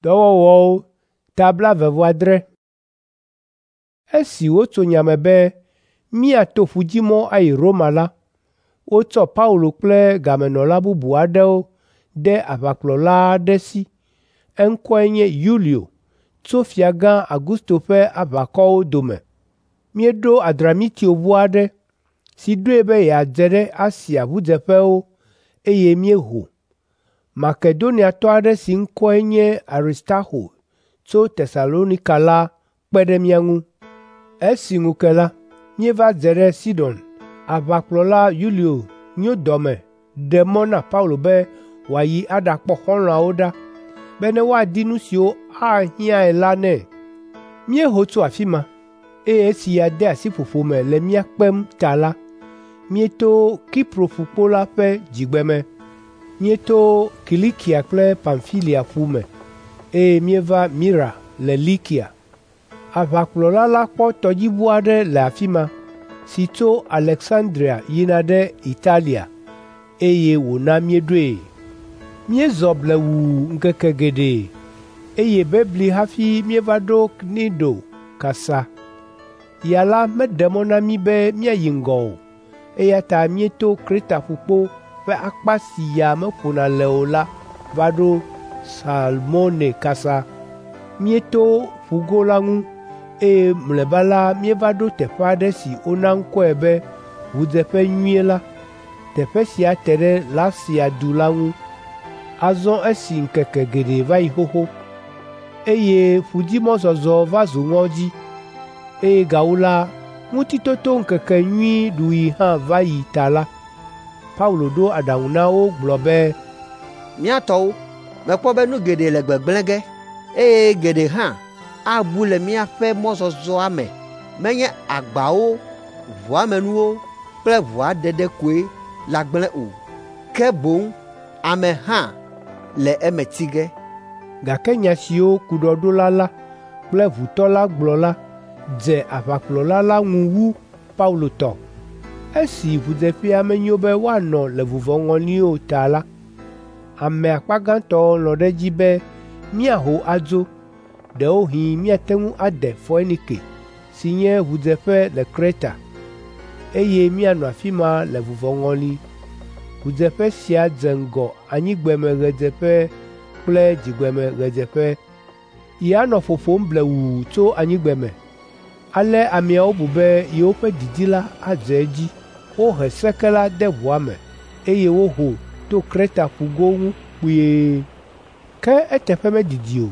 Dɔwɔwɔwo ta 18. Esi wotso nya me be míato ƒudzimɔ ayi Roma la, wotsɔ Paulo kple gamenɔla bubu aɖewo de aʋakplɔla aɖe si. Eŋkɔe nye Yulio tso Fiagã Augusto ƒe aʋakɔwo dome. Míeɖo Adramitio ʋu aɖe si ɖoe be yeadze ɖe Asia ʋudzeƒewo eye míeho. Makedoniatɔ aɖe si ŋkɔe nye Aristarxo tso Tesalonika la kpe ɖe mía ŋu. Esi ŋu ke la, míeva dze ɖe Sidon. Aʋakplɔla Yulio nyo dɔme ɖe mɔ na Paulo be wòayi aɖakpɔ xɔlɔ̃awo ɖa bene woadi nu siwo ahiãe la nɛ. Míeho tso afi ma, eye esi ya de asi ƒoƒo me le mía kpem ta la, míeto Kipro ƒukpo la ƒe dzigbeme. Míeto Kilikia kple Pamfilia ƒu me, eye míeva Mira le Likia. Aʋakplɔla la kpɔ tɔdziʋu aɖe le afi ma si tso Aleksandria yina ɖe Italia, eye wòna míeɖoe. Míezɔ blewuu ŋkeke geɖe, eye bebli hafi míeva ɖo Knido kasa. Ya la meɖe mɔ na mí be míayi ŋgɔ o, eya ta míeto Kreta ƒukpo ƒe akpa si ya meƒona le o la va ɖo Salmone kasa. Míeto ƒugo la ŋu, eye mlɔeba la míeva ɖo teƒe aɖe si wona ŋkɔe be Ʋudzeƒe Nyui la. Teƒe sia te ɖe Lasea du la ŋu. Azɔ esi ŋkeke geɖe va yi xoxo, eye ƒudzimɔzɔzɔ va zu ŋɔdzi, eye gawu la, Ŋutitotoŋkekenyui ɖuɣi hã va yi ta la, Paulo ɖo aɖaŋu na wo gblɔ be, “Mía tɔwo, mekpɔ be nu geɖe le gbegblẽ ge, eye geɖe hã abu le míaƒe mɔzɔzɔa me. Menye agbawo, ʋua me nuwo kple ʋua ɖeɖe koe lagblẽ o, ke boŋ ame hã le eme tsi ge.” Gake nya siwo kuɖɔɖola la kple ʋutɔ la gblɔ la dze aʋakplɔla la ŋu wu Paulo tɔ. Esi ʋudzeƒea menyo be woanɔ le vuvɔŋɔli o ta la, ame akpa gãtɔ lɔ̃ ɖe edzi be míaho adzo, ɖewohĩ míate ŋu ade Foinike si nye ʋudzeƒe le Kreta, eye míanɔ afi ma le vuvɔŋɔli. Ʋudzeƒe sia dze ŋgɔ anyigbemeɣedzeƒe kple dzigbemeɣedzeƒe. Ya nɔ ƒoƒom blewuu tso anyigbeme. Ale ameawo bu be yewoƒe didi la adze edzi. Wohe seke la de ʋua me, eye woho to Kreta ƒugo ŋu kpuie. Ke eteƒe medidi o,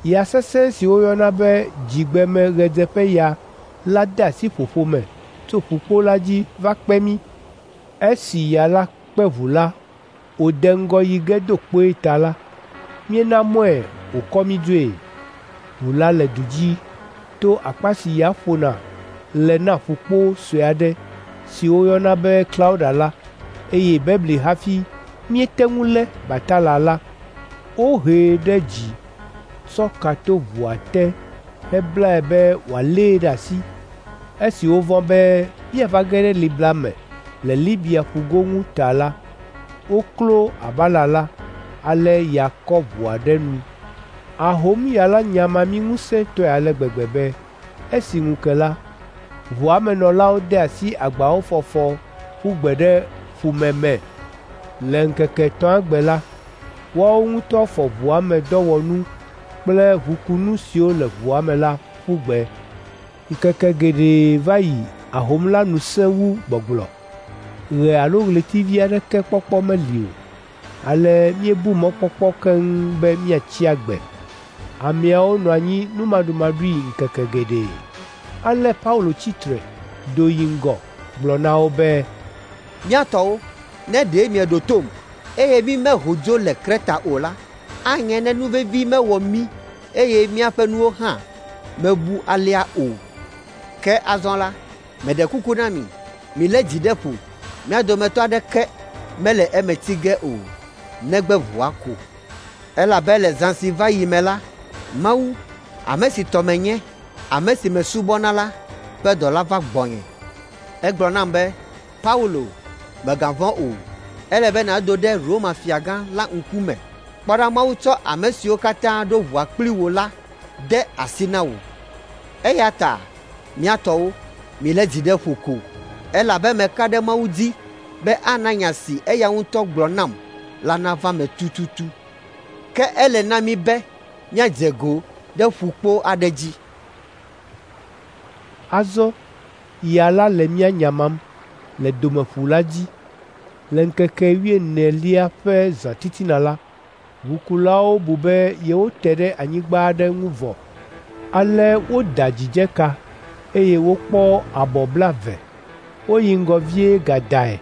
ya sesẽ si woyɔna be dzigbemeɣedzeƒeya la de asi ƒoƒo me tso ƒukpo la dzi va kpe mí. Esi ya la kpe ʋu la wòde ŋgɔ yi ge do kpoe ta la, míena mɔe wòkɔ mí dzoe. Ʋu la le du dzi to akpa si ya ƒona le na ƒukpo sue aɖe si woyɔna be Klauda la, eye bebli hafi míete ŋu lé batala la. Wohee ɖe dzi, tsɔ ka to ʋua te heblae be wòalée ɖe asi. Esi wovɔ̃ be míava ge ɖe libla me le Libia ƒugo ŋu ta la, woklo abala la, ale ya kɔ ʋua ɖe nu. Ahomya la nyama mí ŋusẽtɔe ale gbegbe be esi ŋu ke la, ʋua me nɔlawo de asi agbawo fɔfɔ ƒu gbe ɖe ƒume me. Le ŋkeke etɔ̃a gbe la, woawo ŋutɔ fɔ ʋua me dɔwɔnu kple ʋukunu siwo le ʋua me la ƒu gbe. Ŋkeke geɖe va yi ahom la nu sẽ wu gbɔgblɔ. Ɣe alo ɣletivi aɖeke kpɔkpɔ meli o. Ale míebu mɔkpɔkpɔ keŋ be míatsi agbe. Ameawo nɔ anyi numaɖumaɖui ŋkeke geɖe. Ale Paulo tsi tre, do yi ŋgɔ gblɔ na wo be, “Mía tɔwo, ne ɖe mieɖo tom, eye mímeho dzo le Kreta o la, anye ne nuvevi mewɔ mí eye míaƒe nuwo hã mebu alea o. Ke azɔ la, meɖe kuku na mi, milé dzi ɖe ƒo, mía dometɔ aɖeke mele eme tsi ge o, negbe ʋua ko. Elabe le zã si va yi me la, Mawu, ame si tɔ menye, ame si mesubɔna la ƒe dɔla va gbɔnye. Egblɔ nam be, ‘Paulo, mègavɔ̃ o. Ele be nàdo ɖe Roma fiagã la ŋkume, Kpɔ ɖa Mawu tsɔ ame siwo katã ɖo ʋua kpli wò la de asi na wò. Eya ta mía tɔwo, milé dzi ɖe ƒo ko, elabe meka ɖe Mawu dzi be ana nya si eya ŋutɔ gblɔ nam la nava eme tututu. Ke ele na mí be míadze go ɖe ƒukpo aɖe dzi.” Azɔ ya la le mía nyamam le Domeƒu la dzi. Le ŋkeke wuienelia ƒe zãtitina la, ʋukulawo bu be yewote ɖe anyigba aɖe ŋu vɔ. Ale woda dzidzeka, eye wokpɔ abɔ blaeve. Woyi ŋgɔ vie gadae,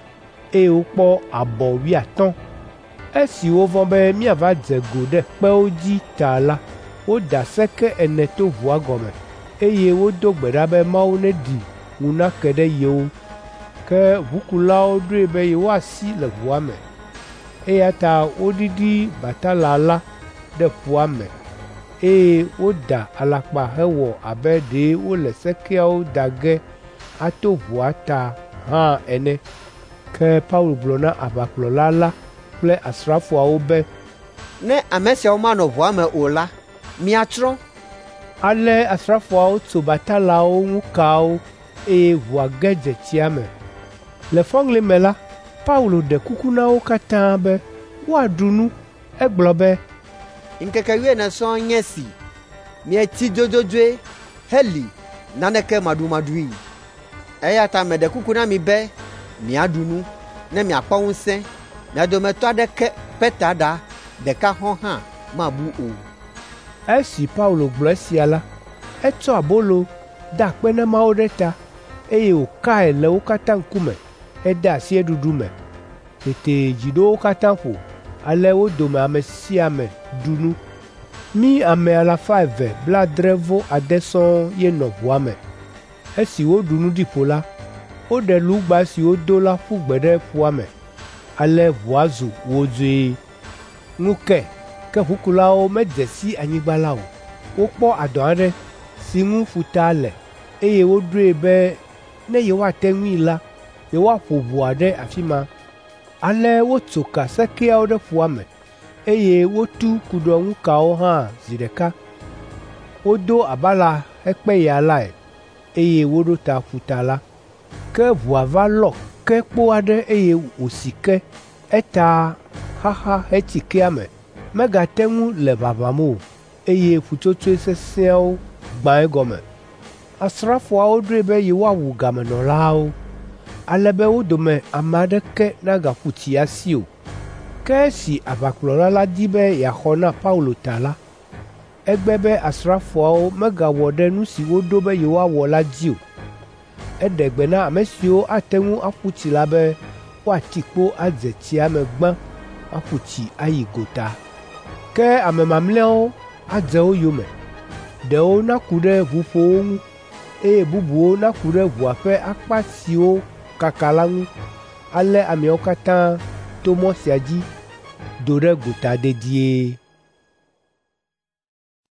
eye wokpɔ abɔ wuiatɔ̃. Esi wovɔ̃ be míava dze go ɖe kpewo dzi ta la, woda seke ene to ʋua gɔme, eye wodo gbe ɖa be Mawu neɖi ŋu nake ɖe yewo. Ke ʋukulawo ɖoe be yewoasi le ʋua me, eya ta woɖiɖi batala la ɖe ƒua me, eye woda alakpa hewɔ abe ɖe wole sekeawo da ge ato ʋua ta hã ene. Ke Paulo gblɔ na aʋakplɔla la kple asrafoawo be, “Ne ame siawo manɔ ʋua me o la, miatsrɔ̃.” Ale asrafoawo tso batalawo ŋu kawo, eye ʋua ge dze tsia me. Le fɔŋli me la, Paulo ɖe kuku na wo katã be woaɖu nu. Egblɔ be, “Ŋkeke wuiene sɔŋ nye esi mietsi dzodzodzoe heli naneke maɖumaɖui. Eya ta meɖe kuku na mi be miaɖu nu, ne miakpɔ ŋusẽ. Mia dometɔ aɖeke ƒe taɖa ɖeka hɔ̃ hã mabu o.” Esi Paulo gblɔ esia la, etsɔ abolo, da akpe na Mawu ɖe ta, eye wòkae le wo katã ŋkume hede asi eɖuɖu me. Tete dzi ɖo wo katã ƒo, ale wo dome ame sia ame ɖu nu. Mí ame alafa eve blaadre-vɔ-ade sɔŋ ye nɔ ʋua me. Esi woɖu nu ɖi ƒo la, woɖe lugba si wodo la ƒu gbe ɖe ƒua me. Ale ʋua zu wodzoe. Ŋu ke, ke ʋukulawo medze si anyigba la o. Wokpɔ adɔ aɖe si ŋu ƒuta le, eye woɖoe be ne yewoate ŋui la, yewoaƒo ʋua ɖe afi ma. Ale wotso ka sekeawo ɖe ƒua me, eye wotu kuɖɔŋukawo hã zi ɖeka. Wodo abala hekpe ya lae, eye woɖo ta ƒuta la. Ke ʋua va lɔ ke kpo aɖe eye wòsi ke, eta xaxa hetsi kea me. Megate ŋu le ʋaʋãm o, eye ƒutsotsoe sesẽawo gbã egɔme. Asrafoawo ɖoe be yewoawu gamenɔlawo, ale be wo dome ame aɖeke nagaƒu tsi asi o. Ke esi aʋakplɔla la di be yeaxɔ na Paulo ta la, egbe be asrafoawo megawɔ ɖe nu si woɖo be yewoawɔ la dzi o. Eɖe gbe na ame siwo ate ŋu aƒu tsi la be woati kpo adze tsia me gbã aƒu tsi ayi gota. Ke ame mamlɛawo adze wo yome. Ɖewo naku ɖe ʋuƒowo ŋu, eye bubuwo naku ɖe ʋua ƒe akpa siwo kaka la ŋu. Ale ameawo katã to mɔ sia dzi do ɖe gota dedie.